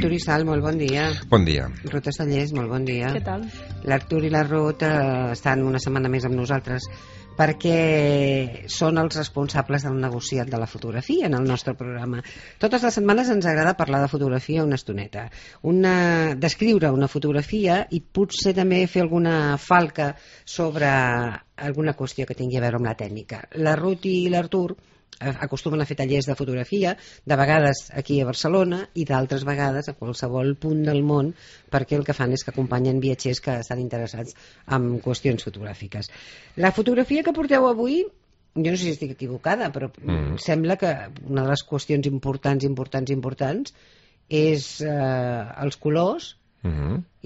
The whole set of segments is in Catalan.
Artur i Sal, molt bon dia. Bon dia. Ruth Estallés, molt bon dia. Què tal? L'Artur i la Ruth estan una setmana més amb nosaltres perquè són els responsables del negociat de la fotografia en el nostre programa. Totes les setmanes ens agrada parlar de fotografia una estoneta. Descriure una fotografia i potser també fer alguna falca sobre alguna qüestió que tingui a veure amb la tècnica. La Ruth i l'Artur acostumen a fer tallers de fotografia, de vegades aquí a Barcelona i d'altres vegades a qualsevol punt del món, perquè el que fan és que acompanyen viatgers que estan interessats en qüestions fotogràfiques. La fotografia que porteu avui, jo no sé si estic equivocada, però sembla que una de les qüestions importants és els colors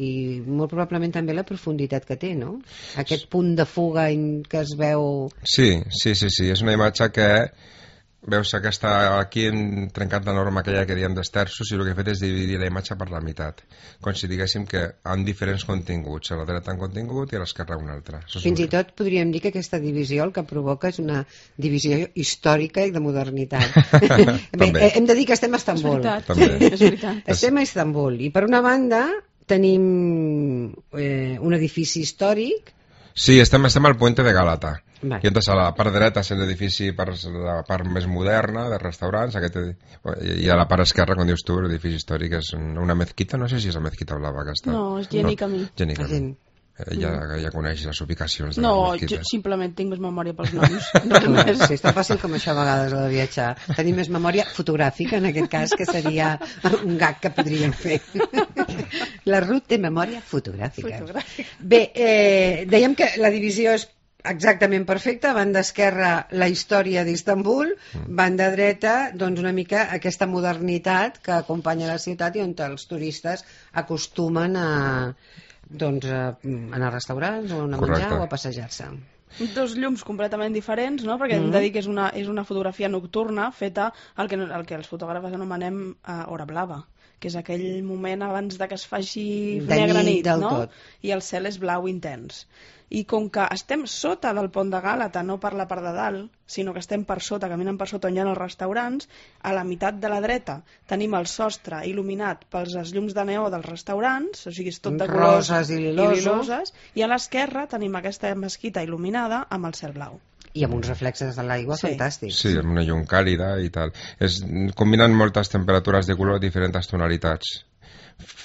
i molt probablement també la profunditat que té, no? Aquest punt de fuga que es veu... Sí, és una imatge que veus que està aquí trencat la norma aquella que diem d'esterços i el que he fet és dividir la imatge per la meitat, com si diguéssim que han diferents continguts, a la dreta un contingut i a l'esquerra un altre. Fins i tot podríem dir que aquesta divisió el que provoca és una divisió històrica i de modernitat. Bé, hem de dir que estem a Istanbul. És veritat. Estem a Istanbul i per una banda tenim un edifici històric. Sí, estem al Puente de Gálata. Vale. I entonces a la part dreta és l'edifici per la part més moderna de restaurants, i a la part esquerra, com dius tu, l'edifici històric és una mezquita, no sé si és la mezquita blava aquesta. No, és Geni Camí. Geni Camí. Ja coneix les ubicacions de les No, mezquites. jo simplement tinc més memòria pels noms. Sí, està fàcil com això a vegades de viatjar. Tenim més memòria fotogràfica, en aquest cas, que seria un gag que podríem fer. La Ruth té memòria fotogràfica. Bé, dèiem que la divisió és exactament perfecta. Banda esquerra, la història d'Istanbul, banda dreta, doncs una mica aquesta modernitat que acompanya la ciutat i on els turistes acostumen a anar a restaurants o a menjar o a passejar-se. Dos llums completament diferents, no? Perquè hem de dir que és una fotografia nocturna feta el que els fotògrafs anomenem hora blava, que és aquell moment abans de que es faci negra nit, no? I el cel és blau intens. I com que estem sota del pont de Gàlata, no per la part de dalt, sinó que estem per sota, caminant per sota on hi ha els restaurants, a la meitat de la dreta tenim el sostre il·luminat pels llums de neó dels restaurants, o sigui, és tot de colors roses i liloses, i a l'esquerra tenim aquesta mesquita il·luminada amb el cel blau. I amb uns reflexes de l'aigua fantàstics. Sí, amb una llum càlida i tal. Combinen moltes temperatures de color, diferents tonalitats.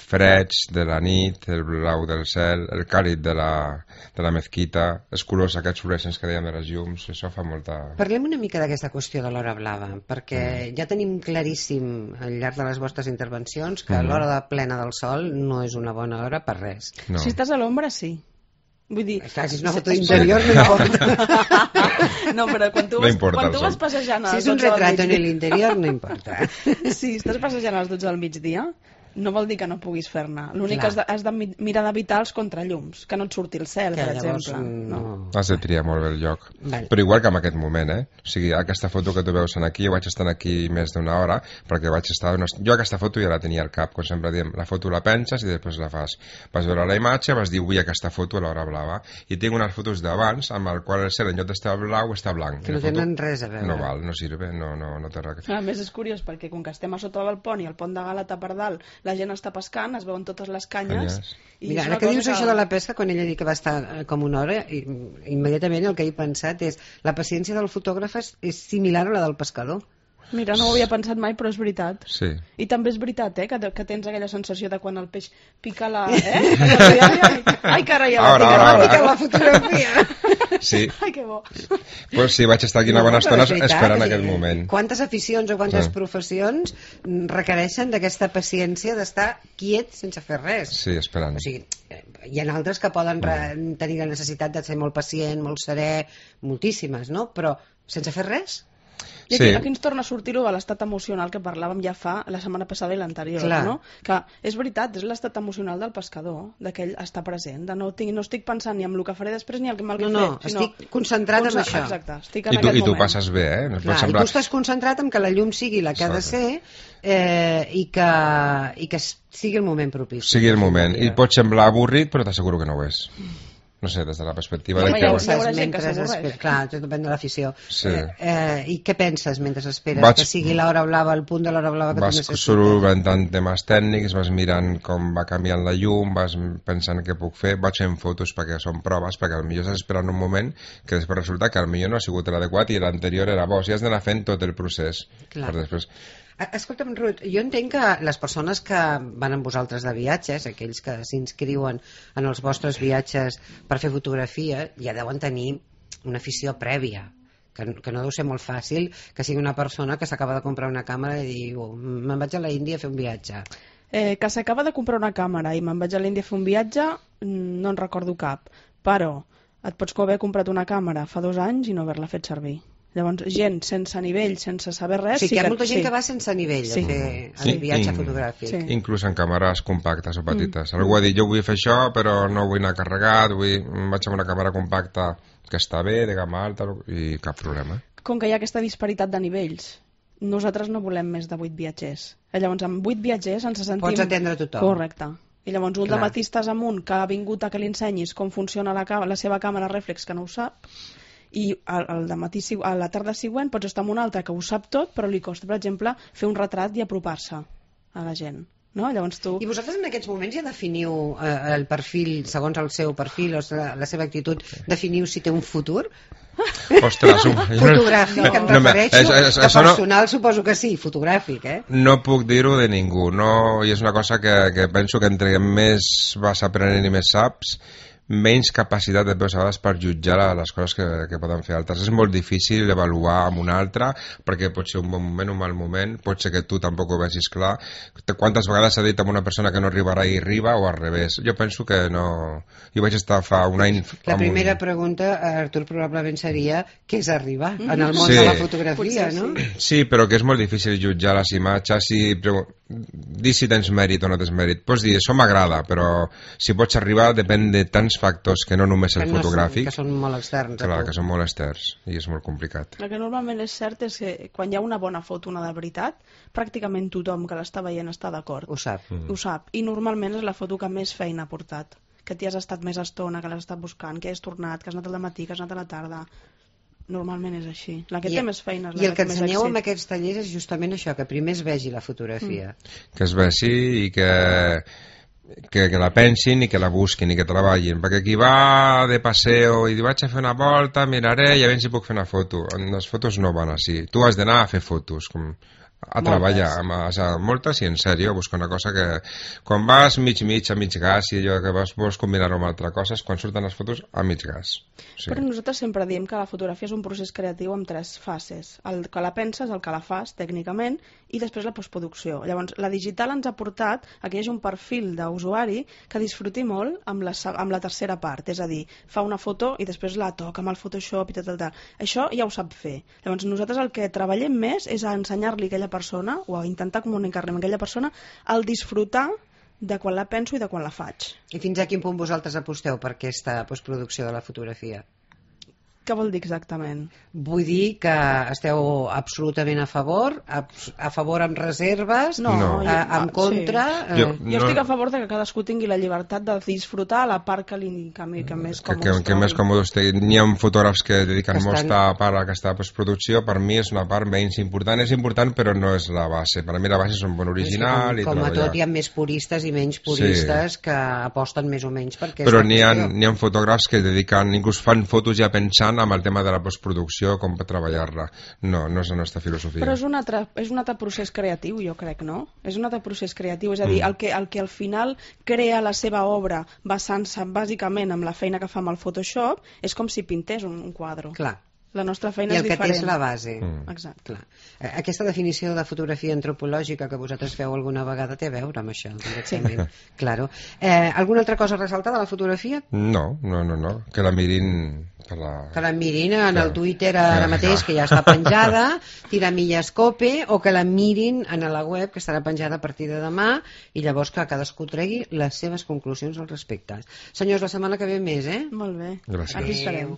Freds de la nit, el blau del cel, el càlid de la mezquita, els colors aquests fluorescents que dèiem de les llums, això fa molta... Parlem una mica d'aquesta qüestió de l'hora blava, perquè ja tenim claríssim al llarg de les vostres intervencions que l'hora de plena del sol no és una bona hora per res. No. Si estàs a l'ombra, sí. Vull dir... Clar, si és una foto d'interior no importa. No, però quan tu vas passejant... Si és un retrat en l'interior no importa. Si estàs passejant a les 12 del migdia, no vol dir que no puguis fer-ne. L'únic que has de mirar d'evitar els contrallums, que no et surti el cel, per exemple. No. Has de triar molt bé el lloc. Però igual que en aquest moment, O sigui, aquesta foto que tu veus aquí, jo vaig estar aquí més d'una hora, perquè vaig estar... Jo aquesta foto ja la tenia al cap, com sempre diem, la foto la penses i després la fas. Vas veure la imatge, vas dir, vull aquesta foto a l'hora blava. I tinc unes fotos d'abans, amb el qual el cel en lloc d'estar blau està blanc. Que no tenen res a veure. No val, no sirve, no té res. A més és curiós, perquè com que estem a sota del pont i el pont de Gàlata per dalt, la gent està pescant, es veuen totes les canyes. Mira, ara que dius això de la pesca, quan ella diu que va estar com una hora, immediatament el que he pensat és la paciència del fotògraf és similar a la del pescador. Mira, no ho havia pensat mai, però és veritat. Sí. I també és veritat, que tens aquella sensació de quan el peix pica la... Ai, carai, pica la fotografia. Sí. Ai, que bo. Pues sí, vaig estar aquí una bona estona esperant aquest moment. Quantes aficions o quantes professions requereixen d'aquesta paciència d'estar quiet sense fer res? Sí, esperant. O sigui, hi ha altres que poden tenir la necessitat de ser molt pacient, molt serè, moltíssimes, no? Però sense fer res? I aquí ens torna a sortir de l'estat emocional que parlàvem ja fa la setmana passada i l'anterior, no? Que és veritat, és l'estat emocional del pescador, d'aquell estar present, de no estic pensant ni en el que faré després ni en el que fet. No, estic concentrat en això. Exacte, estic en aquest moment. I tu passes bé, I tu estàs concentrat en que la llum sigui la que ha de ser i que sigui el moment propici. Sigui el moment. I pot semblar avorrit, però t'asseguro que no ho és. no sé, des de la perspectiva Home, de hi que... haurà gent que s'avorreix. Clar, tot depèn de l'afició. Sí. I què penses mentre esperes? Que sigui l'hora blava, el punt de l'hora blava que tu necessites? Vas solventant temes tècnics, vas mirant com va canviant la llum, vas pensant què puc fer, vaig fent fotos perquè són proves, perquè potser estàs esperant un moment que després resulta que potser no ha sigut l'adequat i l'anterior era bo. O sigui, has d'anar fent tot el procés. Clar. Per després... Escolta'm, Ruth, jo entenc que les persones que van amb vosaltres de viatges, aquells que s'inscriuen en els vostres viatges per fer fotografia, ja deuen tenir una afició prèvia, que no deu ser molt fàcil que sigui una persona que s'acaba de comprar una càmera i diu, me'n vaig a la Índia a fer un viatge. Que s'acaba de comprar una càmera i me'n vaig a l'Índia a fer un viatge, no en recordo cap, però et pots haver comprat una càmera fa 2 anys i no haver-la fet servir. Llavors, gent sense nivell, sense saber res... Sí, que hi ha molta gent que va sense nivell a fer el viatge fotogràfic. Sí. Inclús en càmeres compactes o petites. Algú ha dit, jo vull fer això, però no vull anar carregat, vaig amb una càmera compacta que està bé, de gamma alta, i cap problema. Com que hi ha aquesta disparitat de nivells, nosaltres no volem més de 8 viatgers. Llavors, amb 8 viatgers ens sentim... Pots atendre tothom. Correcte. I llavors un dematí estàs amunt que ha vingut a que li ensenyis com funciona la seva càmera reflex, que no ho sap, i a la tarda següent pots estar amb un altre que ho sap tot, però li costa, per exemple, fer un retrat i apropar-se a la gent. No? Llavors tu... I vosaltres en aquests moments ja definiu el perfil, segons el seu perfil o la seva actitud, definiu si té un futur? Ostres, fotogràfic, em refereixo. Personal suposo que sí, fotogràfic, No puc dir-ho de ningú, i és una cosa que penso que entre més vas aprenent i més saps, menys capacitat de vegades per jutjar les coses que poden fer altres. És molt difícil avaluar amb un altre, perquè pot ser un bon moment, un mal moment, pot ser que tu tampoc ho vegis clar. Quantes vegades s'ha dit a una persona que no arribarà i arriba, o al revés? Jo penso que no... Jo vaig estar fa un any... La primera pregunta, Artur, probablement seria què és arribar en el món de la fotografia, no? Sí, però que és molt difícil jutjar les imatges i dir si tens mèrit o no tens mèrit. Pots dir, això m'agrada, però si pots arribar depèn de tants factors que no només el fotogràfic, que són molt externs. Clar, que són molt externs i és molt complicat. El que normalment és cert és que quan hi ha una bona foto, una de veritat, pràcticament tothom que l'està veient està d'acord. Ho sap. Ho sap. I normalment és la foto que més feina ha portat, que t'hi has estat més estona, que l'has estat buscant, que has tornat, que has anat al matí, que has anat a la tarda. Normalment és així. La que té més feina és la que té més èxit. I el que ensenyeu amb aquests tallers és justament això, que primer es vegi la fotografia. Que es vegi i que la pensin i que la busquin i que treballin, perquè qui va de passeo i vaig a fer una volta, miraré i a veure si puc fer una foto. Les fotos no van així. Tu has d'anar a fer fotos, a treballar, moltes i en sèrio, a buscar una cosa que quan vas mig a mig gas i allò que vols combinar-ho amb altres coses, quan surten les fotos a mig gas. Però nosaltres sempre diem que la fotografia és un procés creatiu amb 3 fases. El que la penses, el que la fas tècnicament i després la postproducció. Llavors, la digital ens ha portat a que hi hagi un perfil d'usuari que disfruti molt amb la tercera part, és a dir, fa una foto i després la toca amb el Photoshop i tal. Això ja ho sap fer. Llavors, nosaltres el que treballem més és a ensenyar-li a aquella persona o a intentar comunicar-li amb aquella persona el disfrutar de quan la penso i de quan la faig. I fins a quin punt vosaltres aposteu per aquesta postproducció de la fotografia? Què vol dir exactament? Vull dir que esteu absolutament a favor amb reserves, en contra... Sí. Jo estic a favor de que cadascú tingui la llibertat de disfrutar la part que més còmode que més còmode estigui. N'hi ha fotògrafs que dediquen molta part a aquesta postproducció. Per mi és una part menys important. És important, però no és la base. Per mi la base és un bon original i com a tot hi ha més puristes i menys puristes que aposten més o menys perquè... Però n'hi ha fotògrafs que dediquen, inclús fan fotos ja pensant amb el tema de la postproducció, com per treballar-la. No és la nostra filosofia. Però és un altre procés creatiu, jo crec, no? És un altre procés creatiu, és a dir, el que al final crea la seva obra basant-se bàsicament amb la feina que fa amb el Photoshop és com si pintés un quadre. Clar. La nostra feina és diferent. I el que té és la base. Exacte. Clar. Aquesta definició de fotografia antropològica que vosaltres feu alguna vegada té a veure amb això, directament. Sí. Claro. Alguna altra cosa a ressaltar de la fotografia? No. Que la mirin... Que la mirin en el Twitter ara mateix, que ja està penjada, Tiramillascope, o que la mirin en la web, que estarà penjada a partir de demà, i llavors que cadascú tregui les seves conclusions al respecte. Senyors, la setmana que ve més, Molt bé. Gràcies. Aquí estarem.